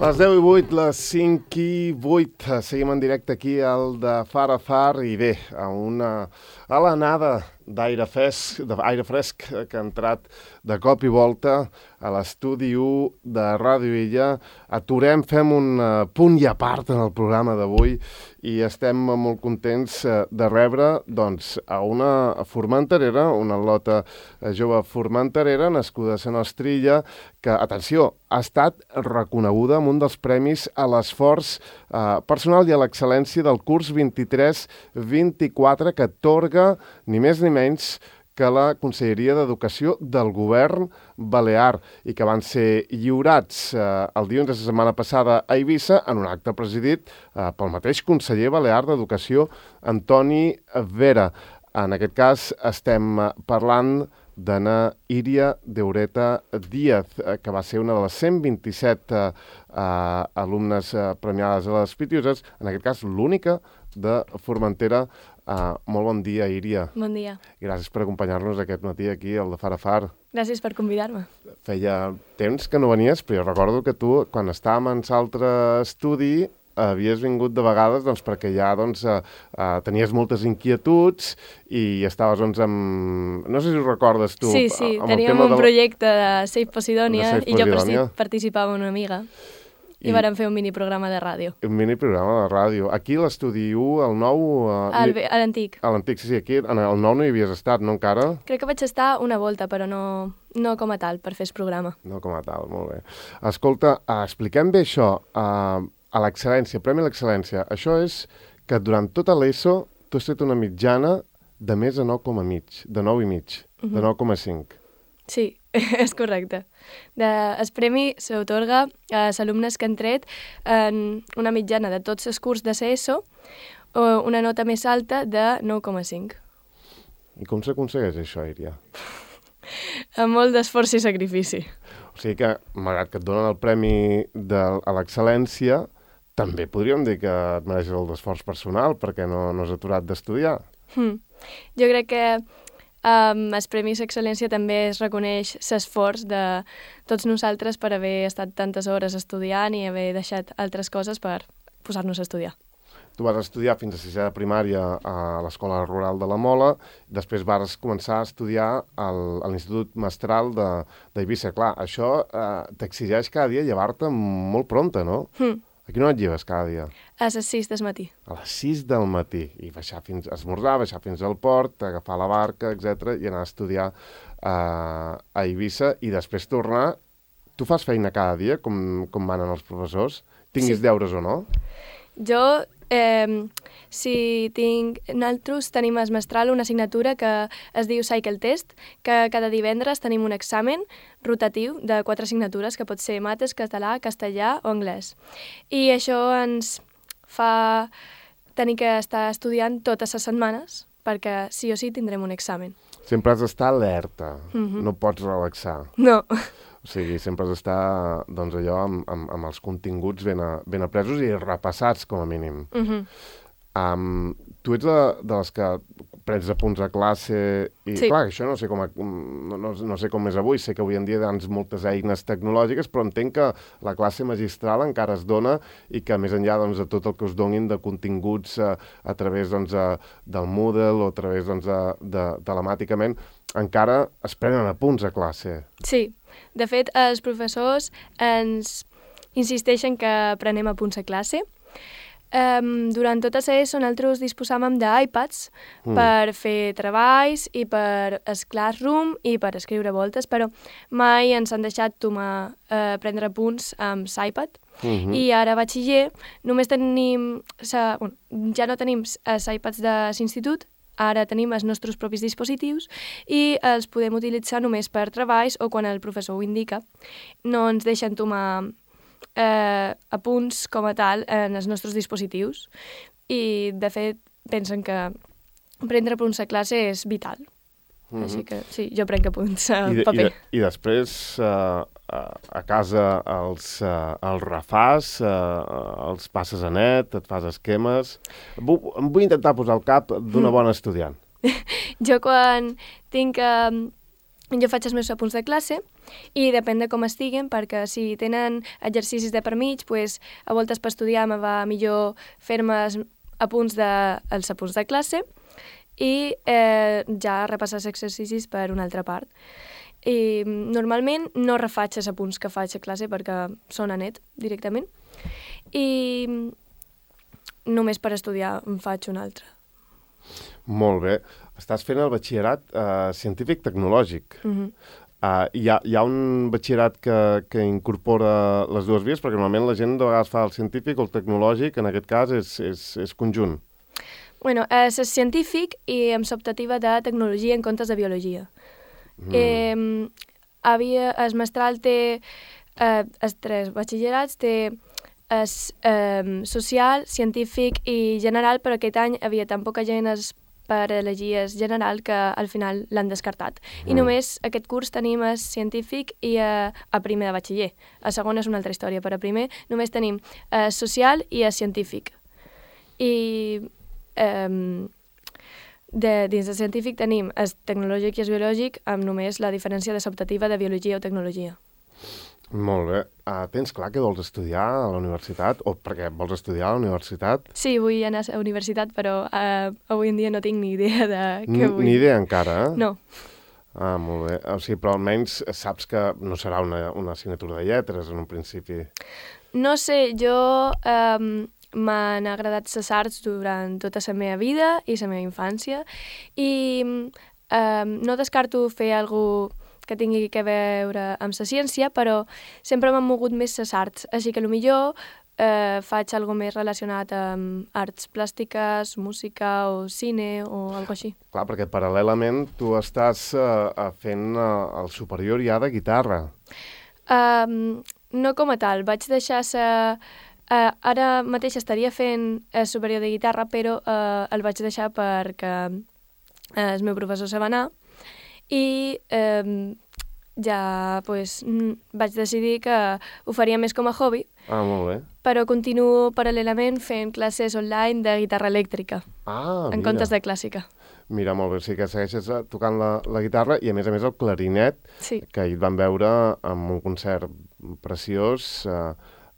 Les 10 i 8, les 5 i 8. Seguim en directe aquí al de Far a Far i bé, a l'anada d'aire fresc que ha entrat de cop i volta a l'estudi 1 de Ràdio Illa. Aturem, fem un punt i a part en el programa d'avui i estem molt contents de rebre doncs, a una formenterera, una al·lota jove formenterera, nascuda a Sant Ostrilla, que, atenció, ha estat reconeguda amb un dels premis a l'esforç personal i a l'excel·lència del curs 23-24 que atorga ni més ni menys que la Conselleria d'Educació del Govern Balear i que van ser lliurats el dilluns de la setmana passada a Eivissa en un acte presidit pel mateix conseller balear d'Educació, Antoni Vera. En aquest cas estem parlant d'Anna Iria Deureta Díaz, que va ser una de les 127 alumnes premiades a les Pitiuses, en aquest cas l'única de Formentera. Molt bon dia, Iria. Bon dia. Gràcies per acompanyar-nos aquest matí aquí al de Far a Far. Gràcies per convidar-me. Feia temps que no venies, però jo recordo que tu, quan estàvem en l'altre estudi, havies vingut de vegades doncs, perquè ja doncs, tenies moltes inquietuds i estaves amb... No sé si ho recordes tu. Sí, teníem un projecte de Save Posidònia i jo participava una amiga. I vàrem fer un miniprograma de ràdio. Un miniprograma de ràdio. Aquí l'estudi 1, el 9... A l'antic. A l'antic, sí, aquí. El 9 no hi havies estat, no encara? Crec que vaig estar una volta, però no com a tal, per fer el programa. No com a tal, molt bé. Escolta, expliquem bé això, a l'excel·lència, Premi a l'Excel·lència. Això és que durant tota l'ESO tu has tret una mitjana de més de 9,5, de 9,5, de 9,5. Sí, és correcte. El premi s'atorga als alumnes que han tret en una mitjana de tots els curs de CESO o una nota més alta de 9,5. I com s'aconsegueix això, Iria? Amb molt d'esforç i sacrifici. O sigui que, malgrat que et donen el premi a l'excel·lència, també podríem dir que et mereixes el d'esforç personal perquè no has aturat d'estudiar. Jo crec que el Premi d'Excel·lència també es reconeix l'esforç de tots nosaltres per haver estat tantes hores estudiant i haver deixat altres coses per posar-nos a estudiar. Tu vas estudiar fins a sisè de primària a l'Escola Rural de la Mola, després vas començar a estudiar a l'Institut Mestral d'Eivissa. Clar, això t'exigeix cada dia llevar-te molt prompte, no? A quina hora et lleves cada dia? A les 6 del matí. A les 6 del matí. I esmorzar, baixar fins al port, agafar la barca, etc i anar a estudiar a Eivissa i després tornar. Tu fas feina cada dia, com manen els professors? Tinguis deures o no? Jo, nosaltres tenim a Mestral una assignatura que es diu Cycle Test, que cada divendres tenim un examen rotatiu de 4 assignatures, que pot ser mates, català, castellà o anglès. I això ens fa tenir que estar estudiant totes les setmanes, perquè sí o sí tindrem un examen. Sempre has d'estar alerta, no pots relaxar. No. O sigui, sempre has d'estar doncs, allò amb els continguts ben apresos i repassats, com a mínim. Tu ets de les que prens apunts a classe i, sí. Clar, això no sé com és avui. Sé que avui en dia hi ha moltes eines tecnològiques, però entenc que la classe magistral encara es dona i que més enllà doncs, de tot el que us donin de continguts a través doncs, del Moodle o a través doncs, telemàticament, encara es prenen apunts a classe. Sí. De fet, els professors ens insisteixen que prenem apunts a classe. Durant tot l'ESO nosaltres disposàvem d'iPads per fer treballs i per el Classroom i per escriure voltes, però mai ens han deixat prendre apunts amb l'iPad. I ara a batxiller només tenim... ja no tenim els iPads de l'institut, ara tenim els nostres propis dispositius i els podem utilitzar només per treballs o quan el professor ho indica. No ens deixen tomar apunts com a tal en els nostres dispositius i, de fet, pensen que prendre apunts a classe és vital. Així que, sí, jo prenc apunts a paper. I després, a casa els refàs, els passes a net, et fas esquemes... Em vull intentar posar al cap d'una bona estudiant. Jo quan tinc jo faig els meus apunts de classe i depèn de com estiguen, perquè si tenen exercicis de per mig, pues, a voltes per estudiar me va millor fer-me els apunts de classe i ja repassar els exercicis per una altra part. I normalment no refaig els apunts que faig a classe perquè són a net directament i només per estudiar en faig un altre. Molt bé. Estàs fent el batxillerat científic-tecnològic. Hi ha un batxillerat que incorpora les dues vies, perquè normalment la gent de vegades fa el científic o el tecnològic, en aquest cas és conjunt. Bueno, és científic i amb l'optativa de tecnologia en comptes de biologia. El mestral té els tres batxillerats, té social, científic i general, però aquest any havia tan poca gent per elegir el general que al final l'han descartat. I només aquest curs tenim el científic i a primer de batxiller. A segon és una altra història, però a primer només tenim social i científic. I dins del científic tenim el tecnològic i el biològic amb només la diferència de l'optativa de biologia o tecnologia. Molt bé. Tens clar què vols estudiar a la universitat? O perquè vols estudiar a la universitat? Sí, vull anar a la universitat, però avui en dia no tinc ni idea de què vull. Ni idea encara, eh? No. Molt bé. O sigui, però almenys saps que no serà una assignatura de lletres en un principi. No sé, jo m'han agradat les arts durant tota la meva vida i la meva infància i no descarto fer alguna cosa que tingui a veure amb la ciència, però sempre m'han mogut més les arts, així que potser faig alguna més relacionat amb arts plàstiques, música o cine o alguna així. Clar, perquè paral·lelament tu estàs fent el superior ja de guitarra. No com a tal, vaig deixar ara mateix estaria fent el superior de guitarra, però el vaig deixar perquè el meu professor se va anar i ja vaig decidir que ho faria més com a hobby. Molt bé. Però continuo paral·lelament fent classes online de guitarra elèctrica, en comptes de clàssica. Mira, molt bé, sí que segueixes tocant la guitarra i a més el clarinet, sí, que ahir et van veure amb un concert preciós,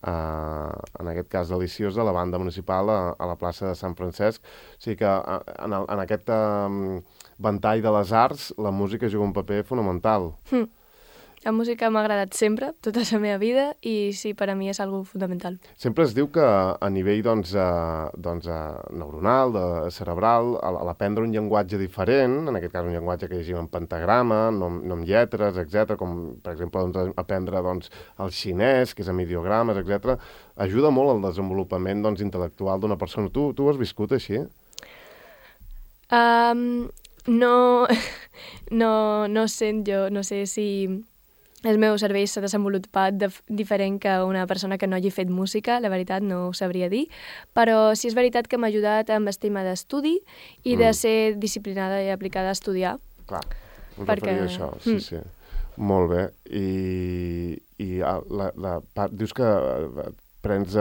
en aquest cas deliciós, de la banda municipal a la plaça de Sant Francesc. O sigui que en aquest ventall de les arts la música juga un paper fonamental. La música m'ha agradat sempre, tota la meva vida, i sí, per a mi és algo fundamental. Sempre es diu que a nivell neuronal, cerebral, a l'aprendre un llenguatge diferent, en aquest cas un llenguatge que llegim en pentagrama, no amb lletres, etc., com per exemple aprendre el xinès, que és amb ideogrames, etc., ajuda molt al desenvolupament intel·lectual d'una persona. Tu ho has viscut així? No sé si el meu cervell s'ha desenvolupat diferent que una persona que no hagi fet música, la veritat no ho sabria dir, però sí és veritat que m'ha ajudat amb el tema d'estudi i de ser disciplinada i aplicada a estudiar. Clar, em referia a això, sí. Molt bé. I dius que prens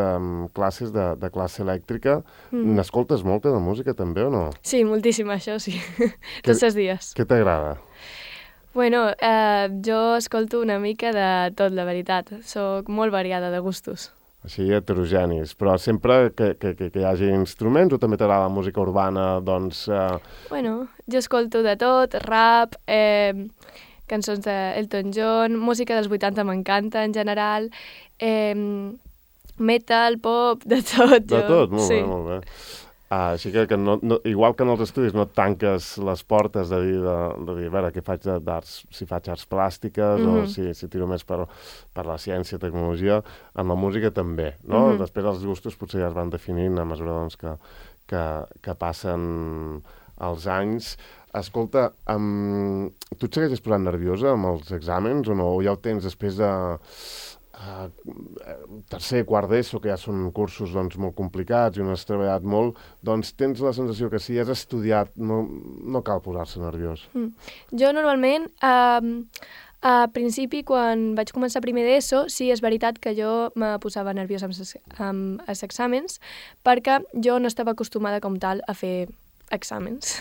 classes de classe elèctrica. N'escoltes molta de música també o no? Sí, moltíssim, això sí. Tots els dies. Què t'agrada? Bueno, jo escolto una mica de tot, la veritat. Soc molt variada de gustos. Així, heterogenis. Però sempre que hi hagi instruments o també t'agrada la música urbana, doncs... Bueno, jo escolto de tot, rap, cançons d'Elton John, música dels 80 m'encanta en general, metal, pop, de tot. De tot? Molt bé, molt bé. Així que igual que en els estudis no et tanques les portes de dir a veure, què faig d'arts, si faig arts plàstiques o si tiro més per la ciència, tecnologia, amb la música també, no? Després els gustos potser ja es van definint a mesura que passen els anys. Escolta, tu et segueixes posant nerviosa amb els exàmens o no? O ja ho tens després de... tercer, quart d'ESO, que ja són cursos molt complicats i on has treballat molt, doncs tens la sensació que si has estudiat no cal posar-se nerviós. Jo normalment, a principi, quan vaig començar primer d'ESO, sí, és veritat que jo me posava nerviosa amb els exàmens, perquè jo no estava acostumada com tal a fer exàmens,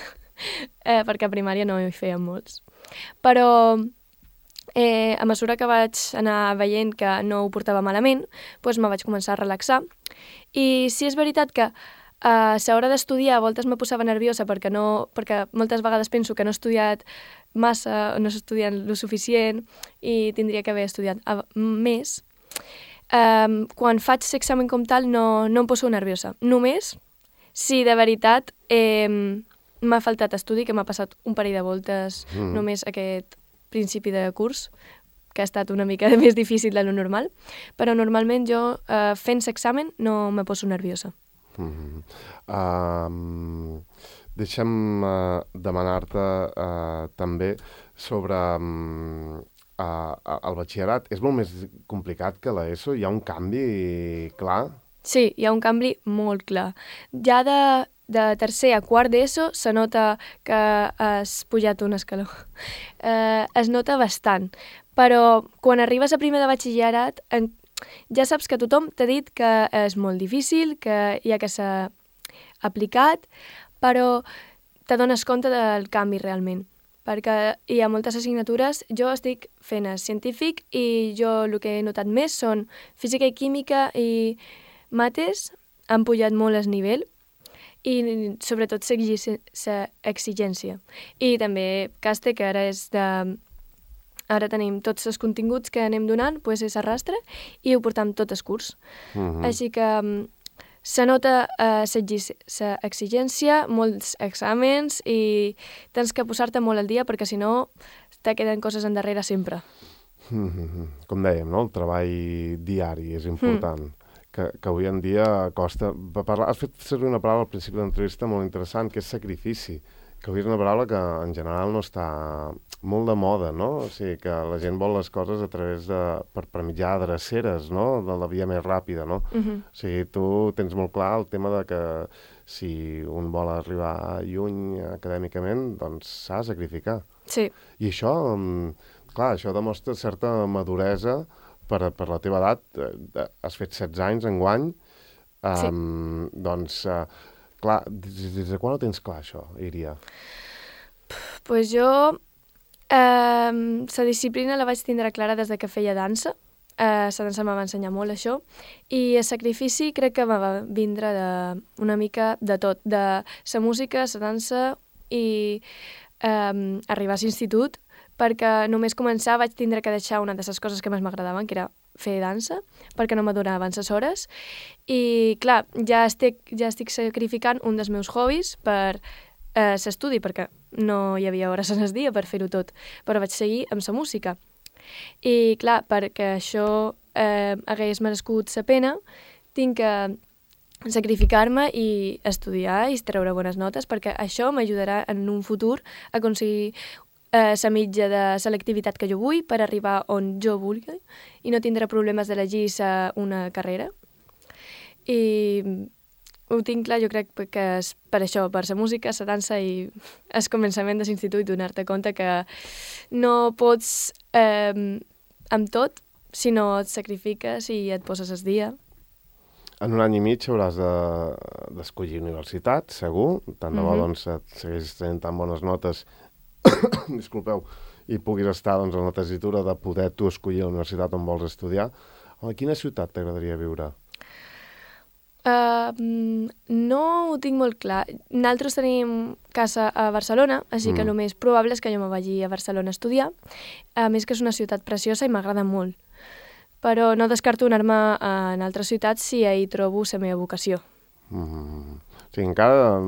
perquè a primària no hi feien molts. Però a mesura que vaig anar veient que no ho portava malament, doncs me vaig començar a relaxar. I sí és veritat que a l'hora d'estudiar a voltes me posava nerviosa perquè moltes vegades penso que no he estudiat massa, no he estudiat lo suficient i tindria que haver estudiat més. Quan faig l'examen com tal no em poso nerviosa. Només si de veritat m'ha faltat estudi, que m'ha passat un parell de voltes només aquest principi de curs, que ha estat una mica més difícil de lo normal, però normalment jo fent l'examen no me poso nerviosa. Deixa'm demanar-te també sobre el batxillerat. És molt més complicat que l'ESO? Hi ha un canvi clar? Sí, hi ha un canvi molt clar. Ja de tercer a quart d'ESO se nota que has pujat un escaló. Es nota bastant, però quan arribes a primer de batxillerat ja saps que tothom t'ha dit que és molt difícil, que hi ha que ser aplicat, però t'adones compte del canvi realment, perquè hi ha moltes assignatures. Jo estic fent científic i jo el que he notat més són física i química i mates, han pujat molt el nivell i sobretot l'exigència. I també caste, que ara és de... Ara tenim tots els continguts que anem donant, doncs és arrastre, i ho portam tot el curs. Així que se nota l'exigència, molts exàmens, i tens que posar-te molt al dia, perquè si no te queden coses endarrere sempre. Com dèiem, no? El treball diari és important, que avui en dia costa... Has fet servir una paraula al principi de l'entrevista molt interessant, que és sacrifici, que avui és una paraula que en general no està molt de moda, no? O sigui, que la gent vol les coses a través per mitjà de dreceres, no? De la via més ràpida, no? O sigui, tu tens molt clar el tema de que si un vol arribar lluny acadèmicament, doncs s'ha de sacrificar. Sí. I això, clar, això demostra certa maduresa per la teva edat. Has fet 16 anys enguany. Sí. Doncs, clar, des de quan ho tens clar, això, Iria? Pues jo... la disciplina la vaig tindre clara des de que feia dansa. La dansa me va ensenyar molt això. I el sacrifici crec que me va vindre una mica de tot. De la música, la dansa i arribar a l'institut, perquè només començar vaig tindre que deixar una de les coses que més m'agradaven, que era fer dansa, perquè no m'adonaven les hores. I, clar, ja estic sacrificant un dels meus hobbies per l'estudi, perquè no hi havia hores en el dia per fer-ho tot, però vaig seguir amb la música. I, clar, perquè això hagués merescut la pena, tinc que sacrificar-me i estudiar i treure bones notes, perquè això m'ajudarà en un futur a aconseguir la mitja de selectivitat que jo vull per arribar on jo vulgui i no tindré problemes d'elegir una carrera. I ho tinc clar, jo crec que és per això, per la música, la dansa i el començament de l'institut, donar-te compte que no pots amb tot si no et sacrifiques i et poses el dia. En un any i mig hauràs d'escollir universitat, segur. Tant de bo doncs, et segueixis tenint tan bones notes disculpeu, i puguis estar doncs, en la tessitura de poder tu escollir la universitat on vols estudiar. A quina ciutat t'agradaria viure? No ho tinc molt clar. Nosaltres tenim casa a Barcelona, així que el més probable és que jo me vagi a Barcelona a estudiar. A més que és una ciutat preciosa i m'agrada molt. Però no descarto anar-me en altres ciutats si hi trobo la meva vocació. Sí, encara...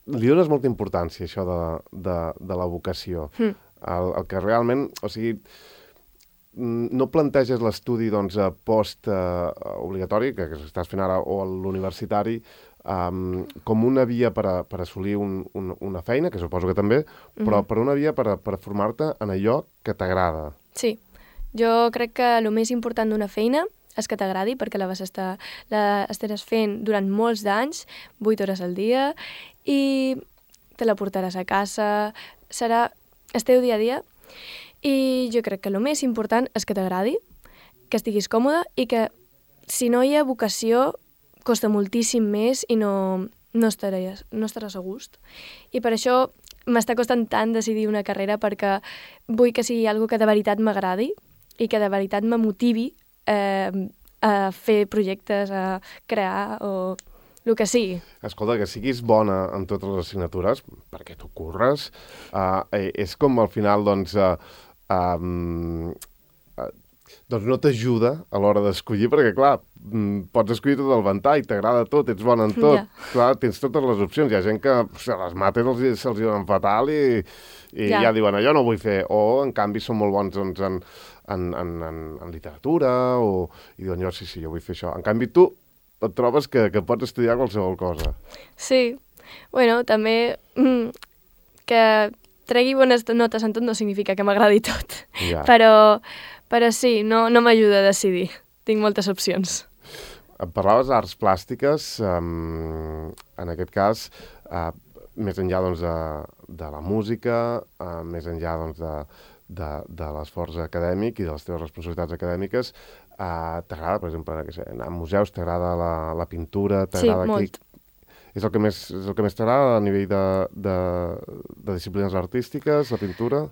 Li dones molta importància, això de la vocació. El que realment... O sigui, no planteges l'estudi doncs, post-obligatori, que estàs fent ara, o l'universitari, com una via per assolir una feina, que suposo que també, però per una via per formar-te en allò que t'agrada. Sí. Jo crec que el més important d'una feina és que t'agradi, perquè estaràs fent durant molts d'anys, 8 hores al dia, i te la portaràs a casa, serà el teu dia a dia, i jo crec que el més important és que t'agradi, que estiguis còmode, i que si no hi ha vocació costa moltíssim més i no estaràs a gust. I per això m'està costant tant decidir una carrera perquè vull que sigui algo que de veritat m'agradi i que de veritat me motivi a fer projectes, a crear o el que sigui. Escolta, que siguis bona en totes les assignatures, perquè t'ho curres, és com al final, doncs no t'ajuda a l'hora d'escollir, perquè, clar, pots escollir tot el ventall, t'agrada tot, ets bona en tot. Clar, tens totes les opcions. Hi ha gent que les mates se'ls diuen fatal i ja diuen, jo no vull fer. O, en canvi, són molt bons en literatura i diuen, jo jo vull fer això. En canvi, tu et trobes que pots estudiar qualsevol cosa. Sí. Bueno, també que tregui bones notes en tot no significa que m'agradi tot. Ja. Però sí, no m'ajuda a decidir. Tinc moltes opcions. Em parlaves d'arts plàstiques, en aquest cas, més enllà doncs, de la música, més enllà doncs, de l'esforç acadèmic i de les teves responsabilitats acadèmiques, t'agrada, per exemple, anar a museus, t'agrada la pintura? Sí, molt. És el que més t'agrada a nivell de disciplines artístiques, la pintura?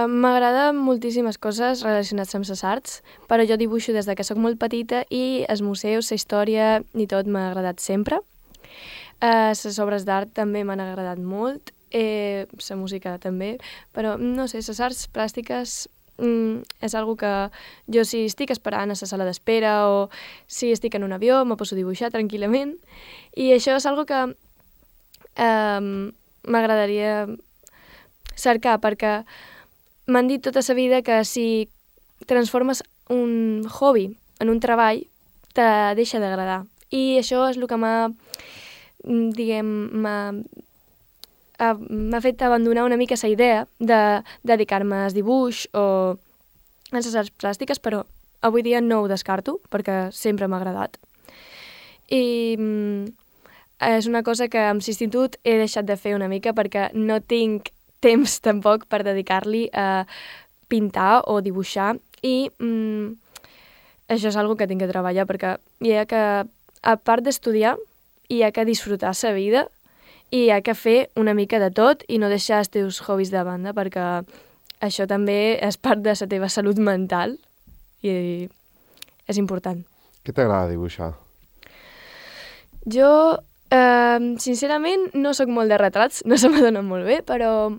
M'agrada moltíssimes coses relacionades amb les arts, però jo dibuixo des que sóc molt petita i els museus, la història i tot m'ha agradat sempre. Les obres d'art també m'han agradat molt, la música també, però no sé, les arts plàstiques és algo que jo si estic esperant a la sala d'espera o si estic en un avió me poso a dibuixar tranquil·lament i això és algo que m'agradaria cercar perquè m'han dit tota la vida que si transformes un hobby en un treball te deixa d'agradar i això és el que m'ha fet abandonar una mica la idea de dedicar-me al dibuix o a les arts plàstiques, però avui dia no ho descarto, perquè sempre m'ha agradat. I és una cosa que amb l'institut he deixat de fer una mica perquè no tinc temps tampoc per dedicar-li a pintar o dibuixar i això és una cosa que tinc que treballar perquè hi ha que, a part d'estudiar, hi ha que disfrutar la vida i hi ha que fer una mica de tot i no deixar els teus hobbies de banda perquè això també és part de la teva salut mental i és important. Què t'agrada dibuixar? Jo, sincerament, no sóc molt de retrats, no se m'adonen molt bé, però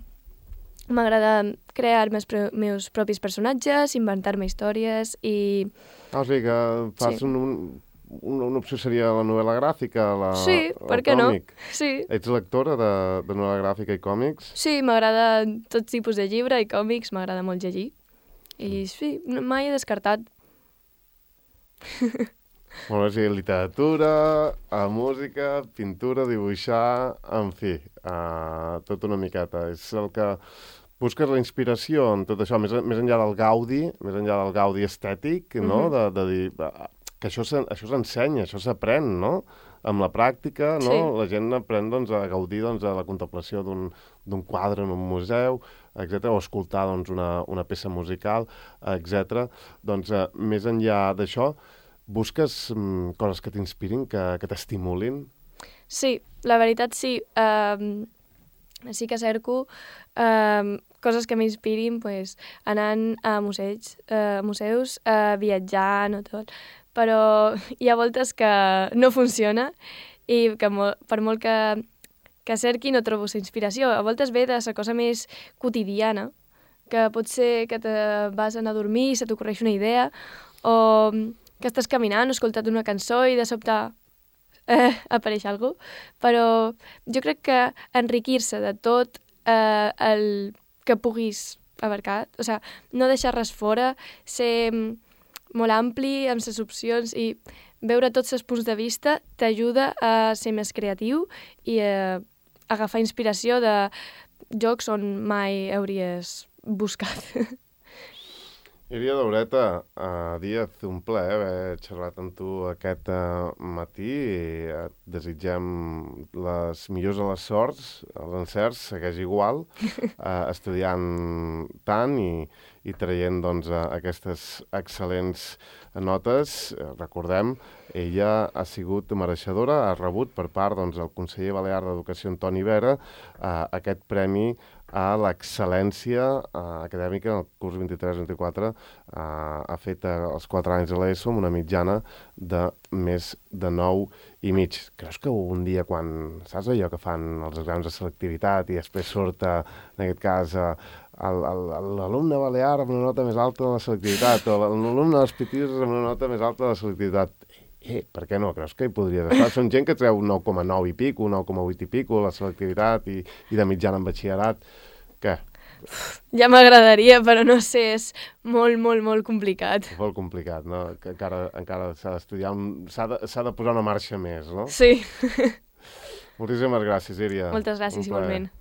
m'agrada crear els meus propis personatges, inventar-me històries i... O sigui que fas una opció seria la novel·la gràfica, sí, per què no? Sí. Ets lectora de novel·la gràfica i còmics? Sí, m'agrada tot tipus de llibre i còmics, m'agrada molt llegir. I sí, mai he descartat. Molt bé, sí, literatura, música, pintura, dibuixar, en fi, tot una miqueta. És el que busques la inspiració en tot això, més enllà del gaudi estètic, no? De dir... que això s'ensenya, això s'aprèn, no? Amb la pràctica, no? Sí. La gent aprèn doncs, a gaudir doncs, de la contemplació d'un quadre en un museu, etc. O escoltar doncs, una peça musical, etc. Doncs, més enllà d'això, busques coses que t'inspirin, que t'estimulin? Sí, la veritat sí. Sí que cerco coses que m'inspirin pues, anant a museus, viatjant o tot. Però hi ha voltes que no funciona i que per molt que cerqui no trobo la inspiració. A voltes ve de la cosa més quotidiana, que pot ser que te vas a anar a dormir i se t'ocorreix una idea, o que estàs caminant o escoltat una cançó i de sobte apareix alguna cosa. Però jo crec que enriquir-se de tot el que puguis abarcar, o sigui, no deixar res fora, ser molt ampli amb les opcions i veure tots els punts de vista t'ajuda a ser més creatiu i a agafar inspiració de jocs on mai hauries buscat. Iria Daureta, Díaz, un plaer haver xerrat amb tu aquest matí i et desitgem les millors de les sorts, els encerts, segueix igual, estudiant tant i traient doncs, aquestes excel·lents notes. Recordem, ella ha sigut mereixedora, ha rebut per part del conseller balear d'Educació Antoni Vera aquest premi a l'excel·lència acadèmica en el curs 23-24. Ha fet els 4 anys de l'ESO amb una mitjana de més de 9,5. Creus que un dia, quan saps allò que fan els exàmens de selectivitat i després surt, en aquest cas, l'alumne balear amb una nota més alta de la selectivitat o l'alumne dels Pitius amb una nota més alta de la selectivitat, per què no? Creus que hi podries estar? Són gent que treu 9,9 i pico, 9,8 i pico, la selectivitat i de mitjana en batxillerat. Què? Ja m'agradaria, però no sé, és molt, molt, molt complicat. Molt complicat, no? Que encara s'ha d'estudiar, s'ha de posar una marxa més, no? Sí. Moltíssimes gràcies, Iria. Moltes gràcies, igualment.